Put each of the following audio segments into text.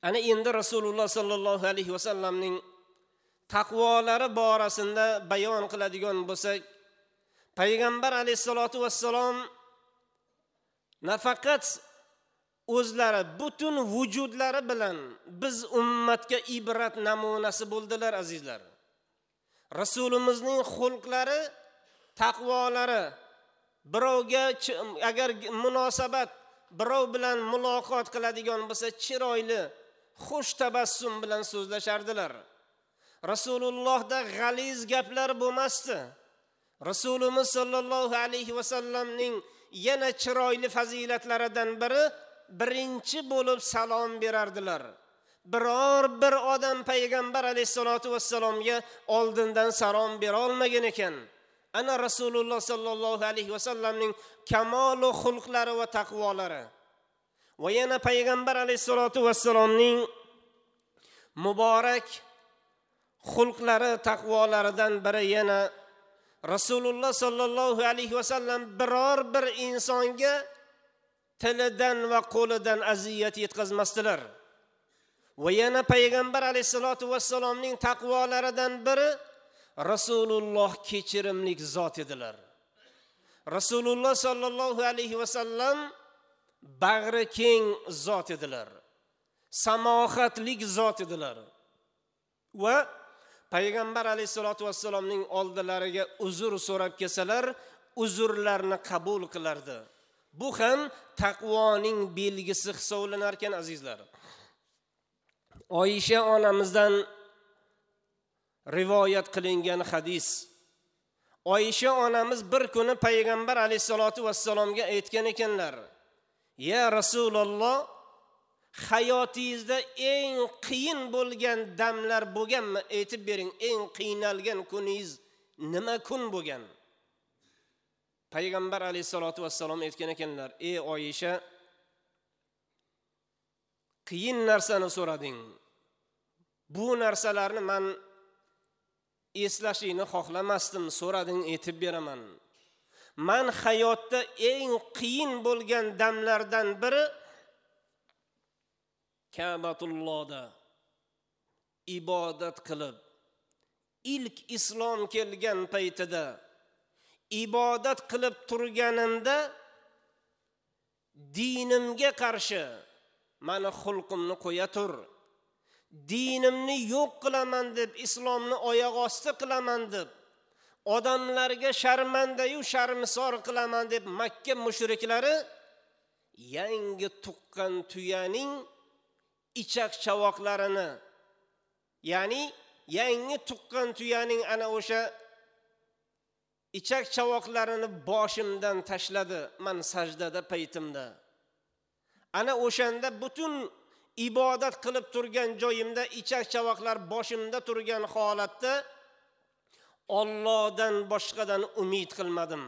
Ana endi Rasululloh sallallohu alayhi vasallamning taqvolari borasida bayon qiladigan bo'lsak, payg'ambar alayhissalatu vassalom nafaqat o'zlari butun vujudlari bilan biz ummatga ibrat namunasi bo'ldilar azizlar. Rasulimizning xulqlari, taqvolari, birovga agar munosabat, birov bilan muloqot qiladigan bo'lsa, chiroyli, xush tabassum bilan so'zlashardilar. Rasulullohda g'aliz gaplar bo'lmasdi. Rasulimiz sollallohu alayhi vasallamning yana chiroyli fazilatlaridan biri birinchi bo'lib salom berardilar. Biror bir odam payg'ambar alayhissalatu vassalomga oldindan salom bera olmagan ekan. Ana Rasululloh sollallohu alayhi vasallamning kamolu xulqlari va taqvolari. Va yana payg'ambar alayhissalatu vassalomning muborak xulqlari, taqvolaridan biri yana Rasululloh sollallohu alayhi vasallam biror bir insonga tilidan va qo'lidan aziyat yetkazmasdilar. Va yana payg'ambar alayhissalatu vassalomning taqvolaridan biri Rasululloh kechirimlik zot edilar. Rasululloh sollallohu alayhi vasallam bag'ri keng zot edilar. Samohatlik zot edilar. Va payg'ambar alayhissalatu vassalomning oldilariga uzr so'rab kelsalar, uzrlarni qabul qilardi. Bu ham taqvoning belgisi hisoblanar ekan azizlar. Oyisha onamizdan rivoyat qilingan hadis. Oyisha onamiz bir kuni payg'ambar alayhissalatu vassalomga aytgan ekanlar: "Ya Rasululloh, hayotingizda eng qiyin bo'lgan damlar bo'lganmi? Aytib bering, eng qiynalgan kuningiz nima kun bo'lgan?" Payg'ambar alayhissalatu vassalom aytgan ekanlar: "Ey Oyisha, qiyin narsani so'rading. Bu narsalarni men eslashingni xohlamasdim, so'rading, aytib beraman. Men hayotda eng qiyin bo'lgan damlardan biri Ka'batullohda ibodat qilib, ilk islom kelgan paytida ibodat qilib turganimda dinimga qarshi meni xulqimni qo'ya tur, dinimni yo'q qilaman deb, islomni oyoq osti qilaman deb, odamlarga sharmandayu sharmisor qilaman deb Makka mushriklari yangi tuqqan tuyaning ichak chavoqlarini, ya'ni yangi tuqqan tuyaning ana o'sha ichak chavoqlarini boshimdan tashladi man sajdada paytimda. Ana o'shanda butun ibodat qilib turgan joyimda ichak chavoqlar boshimda turgan holatda Allohdan boshqadan umid qilmadim.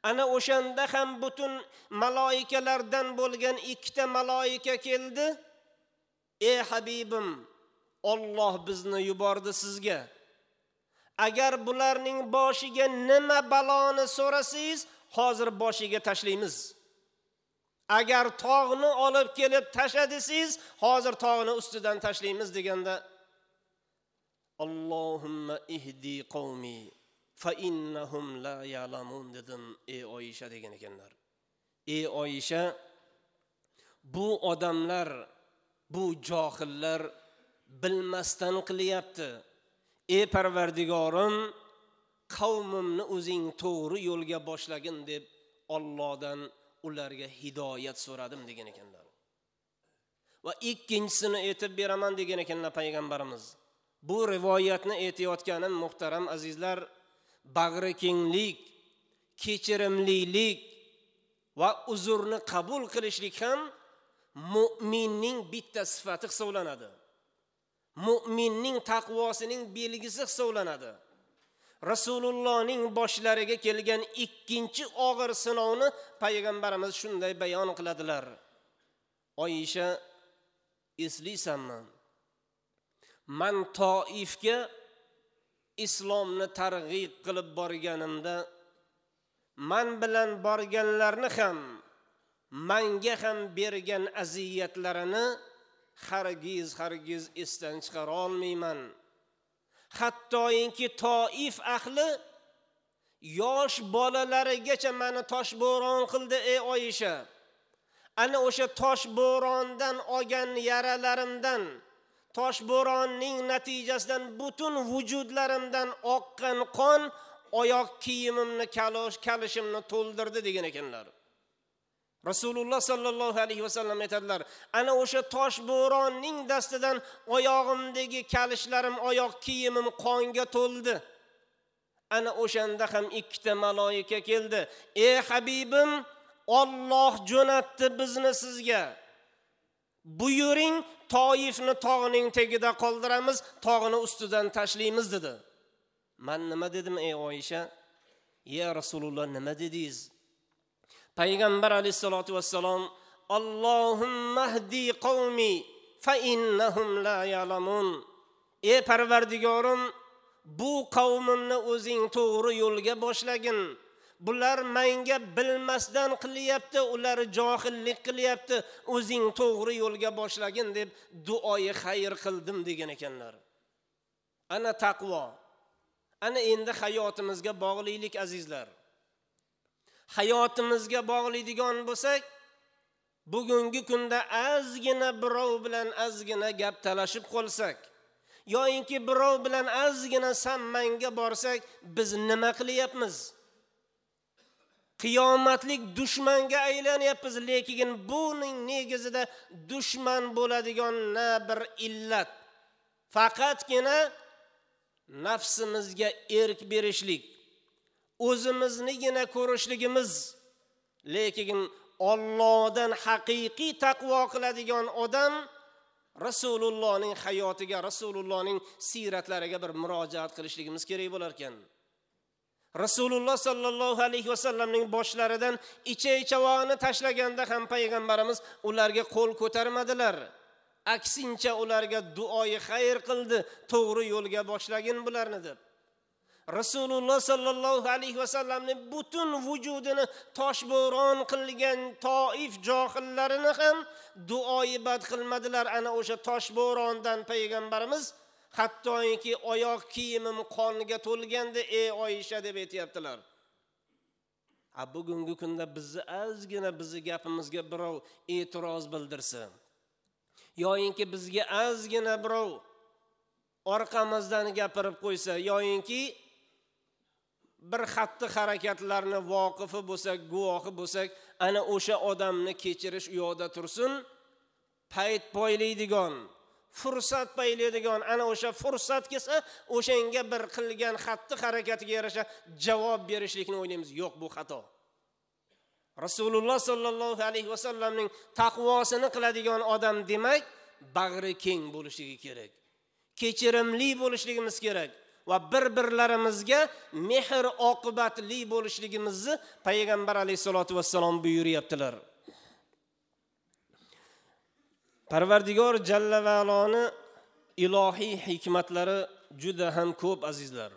Ana o'shanda ham butun maloikalardan bo'lgan ikkita maloika keldi. Ey habibim, Alloh bizni yubordi sizga. Agar bularning boshiga nima baloni so'rasangiz, hozir boshiga tashlaymiz. Agar tog'ni olib kelib tasha desangiz, hozir tog'ni ustidan tashlaymiz deganda, Allohumma ihdi qavmi fa innahum la ya'lamun dedim, ey Oyisha degan ekanlar. Ey Oyisha, bu odamlar, bu johillar bilmasdan qilyapti. Ey Parvardigorim, qavmimni o'zing to'g'ri yo'lga boshlagin deb Allohdan ularga hidoyat so'radim degan ekanlar. Va ikkinchisini aytib beraman degan ekanlar payg'ambarimiz. Bu rivoyatni aytayotganim muhtaram azizlar, bag'ri kenglik, kechirimlilik va uzrni qabul qilishlik ham mu'minning bitta sifati hisoblanadi. Mu'minning taqvosining belgisi hisoblanadi. Rasulullohning boshlariga kelgan ikkinchi og'ir sinovni payg'ambarimiz shunday bayon qiladilar. Oyisha, eslaysanmi? Man Toifga islomni targ'ib qilib borganimda man bilan borganlarni ham manga ham bergan aziyatlarini hargiz hargiz esdan chiqara olmayman. Hattoki Toif ahli yosh bolalarigacha meni toshbo'ron qildi ey Oyisha. Ana o'sha toshbo'rondan olgan yaralarimdan, toshbo'ronning natijasidan butun vujudlarimdan oqqan qon oyoq kiyimimni, kalishimni to'ldirdi degan ekanlar. Rasululloh sallallohu alayhi vasallam aytadilar, ana o'sha toshbo'ronning dastidan oyog'imdagi kalishlarim, oyoq kiyimim qonga to'ldi. Ana o'shanda ham ikkita maloika keldi. Ey habibim, Alloh jo'natdi bizni sizga. Buyuring, Toifni tog'ining tagida qoldiramiz, tog'ini ustidan tashlaymiz dedi. Men nima dedim ey Oyisha? Ya Rasululloh, nima dedingiz? Payg'ambar alayhisolatu vassalom, Allohumma hdi qavmi fa innahum la ya'lamun. Ey Parvardigorim, bu qavmimni o'zing to'g'ri yo'lga boshlagin. Bular menga bilmasdan qilyapti, ular johillik qilyapti, o'zing to'g'ri yo'lga boshlagin deb duoyi xayr qildim degan ekanlar. Ana taqvo. Ana endi hayotimizga bog'lilik azizlar. Hayotimizga bog'laydigan bo'lsak, bugungi kunda ozgina birov bilan ozgina gap talashib qolsak, yoinki birov bilan ozgina sammanga borsak, biz nima qilyapmiz? Qiyomatlik dushmanga aylanyapmiz, lekin buning negizida dushman bo'ladigan na bir illat, faqatgina nafsimizga erk berishlik, o'zimiznigina ko'rishligimiz. Lekin Allohdan haqiqiy taqvo qiladigan odam Rasulullohning hayotiga, Rasulullohning siratlariga bir murojaat qilishligimiz kerak bo'lar ekan. Rasululloh sallallohu alayhi vasallamning boshlaridan ichak-chavoni tashlaganda ham payg'ambarimiz ularga qo'l ko'tarmadilar. Aksincha ularga duoyi xayr qildi, to'g'ri yo'lga boshlagin bularni deb. Rasululloh sallallohu alayhi vasallamning butun vujudini toshbo'ron qilgan Toif johillarini ham duoyi bad qilmadilar. Ana o'sha toshbo'rondan payg'ambarimiz hattoki oyoq kiyimim qonga to'lganda ey Oyisha deb aytayaptilar. A bugungi kunda bizni ozgina bizni gapimizga birov e'tiroz bildirsa, yoinki bizga ozgina birov orqamizdan gapirib qo'ysa, yoinki bir xatti harakatlarni voqifi bo'lsak, guvohi bo'lsak, ana o'sha odamni kechirish u yoqda tursin, payt poylaydigan, fursat paylaydigan, ana o'sha fursat kelsa, o'shanga bir qilgan xatti harakatiga yarasha javob berishlikni o'ylaymiz. Yo'q, bu xato. Rasululloh sallallohu alayhi vasallamning taqvosini qiladigan odam demak, bag'ri keng bo'lishligi kerak. Kechirimli bo'lishligimiz kerak va bir-birlarimizga mehr oqibatli bo'lishligimizni payg'ambar alayhisolatu vassalom buyuryaptilar. Parvardigor jalla va aloni ilohiy hikmatlari juda ham ko'p azizlar.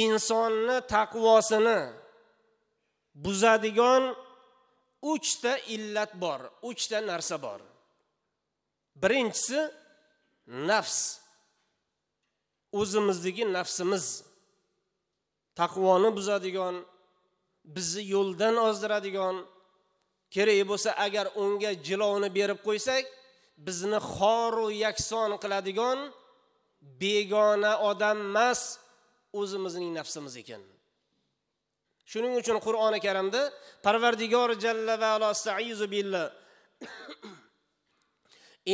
Insonni taqvosini buzadigan 3 ta illat bor, 3 ta narsa bor. Birinchisi nafs. O'zimizdagi nafsimiz taqvoni buzadigan, bizni yo'ldan ozdiradigan, kerak bo'lsa agar unga jilovni berib qo'ysak, bizni xoru yakson qiladigan begona odam emas, o'zimizning nafsimiz ekan. Shuning uchun Qur'oni Karimda Parvardigor jalla va ala astaizu billah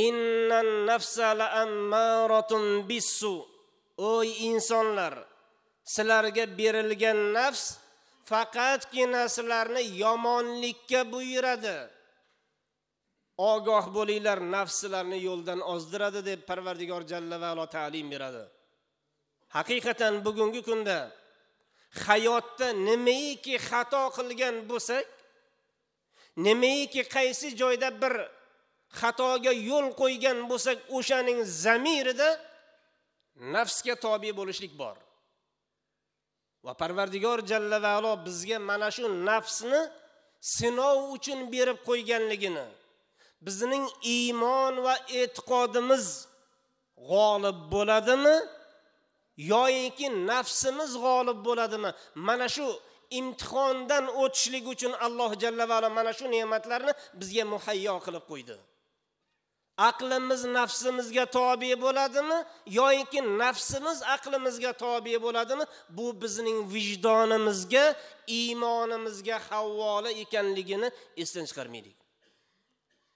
innan nafsa la'ammaratun bissu. Ey insonlar, sizlarga berilgan nafs faqatgina sizlarni yomonlikka buyuradi. Ogoh bo'linglar, nafs sizlarni yo'ldan ozdiradi deb Parvardigor jalla va ala ta'lim beradi. Haqiqatan bugungi kunda hayotda nimaiki xato qilgan bo'lsak, nimaiki qaysi joyda bir xatoga yo'l qo'ygan bo'lsak, o'shaning zamirida nafsga tobe bo'lishlik bor. Va Parvardigor jalla va alo bizga mana shu nafsni sinov uchun berib qo'yganligini, Bizning iymon va e'tiqodimiz g'olib bo'ladimi yoki nafsimiz g'olib bo'ladimi? Mana shu imtihondan o'tishlik uchun Alloh jalla va ala mana shu ne'matlarni bizga muhayyo qilib qo'ydi. Aqlimiz nafsimizga tobe bo'ladimi yoki nafsimiz aqlimizga tobe bo'ladimi? Bu bizning vijdonimizga, iymonimizga havola ekanligini esdan chiqarmaylik.